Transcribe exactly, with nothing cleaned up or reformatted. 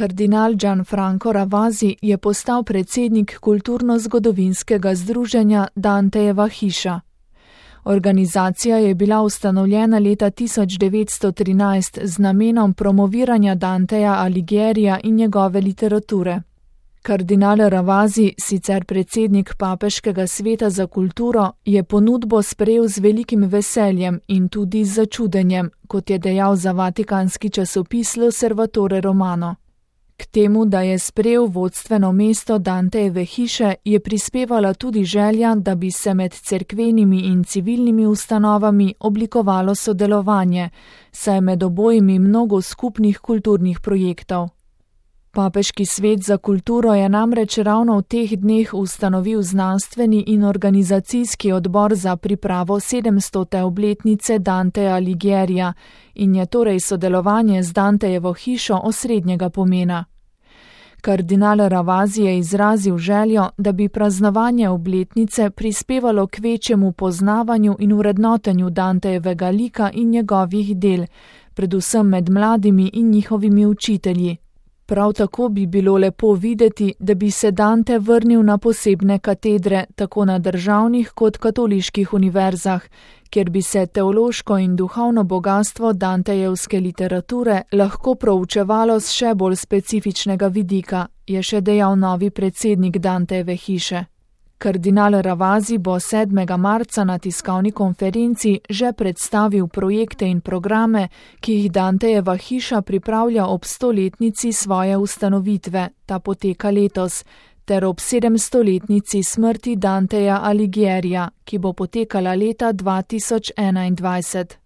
Kardinal Gianfranco Ravasi je postal predsednik kulturno-zgodovinskega združenja Dantejeva hiša. Organizacija je bila ustanovljena leta tisoč devetsto trinajst z namenom promoviranja Danteja Alighiera in njegove literature. Kardinal Ravasi, sicer predsednik Papeškega sveta za kulturo, je ponudbo sprejel z velikim veseljem in tudi z začudenjem, kot je dejal za vatikanski časopis L'Osservatore Romano. K temu, da je sprejel vodstveno mesto Dantejeve hiše, je prispevala tudi želja, da bi se med cerkvenimi in civilnimi ustanovami oblikovalo sodelovanje, saj je med obojimi mnogo skupnih kulturnih projektov. Papeški svet za kulturo je namreč ravno v teh dneh ustanovil znanstveni in organizacijski odbor za pripravo sedemstote obletnice Danteja Alighiera in je torej sodelovanje z Dantejevo hišo osrednjega pomena. Kardinal Ravasi je izrazil željo, da bi praznovanje obletnice prispevalo k večjemu poznavanju in vrednotenju Dantejevega lika in njegovih del, predvsem med mladimi in njihovimi učitelji. Prav tako bi bilo lepo videti, da bi se Dante vrnil na posebne katedre, tako na državnih kot katoliških univerzah, kjer bi se teološko in duhovno bogatstvo dantejevske literature lahko proučevalo z še bolj specifičnega vidika, je še dejal novi predsednik Dantejeve hiše. Kardinal Ravasi bo sedmega marca na tiskovni konferenci že predstavil projekte in programe, ki jih Dantejeva hiša pripravlja ob stoletnici svoje ustanovitve, ta poteka letos, ter ob sedemstoletnici smrti Danteja Alighiera, ki bo potekala leta dva tisoč enaindvajset.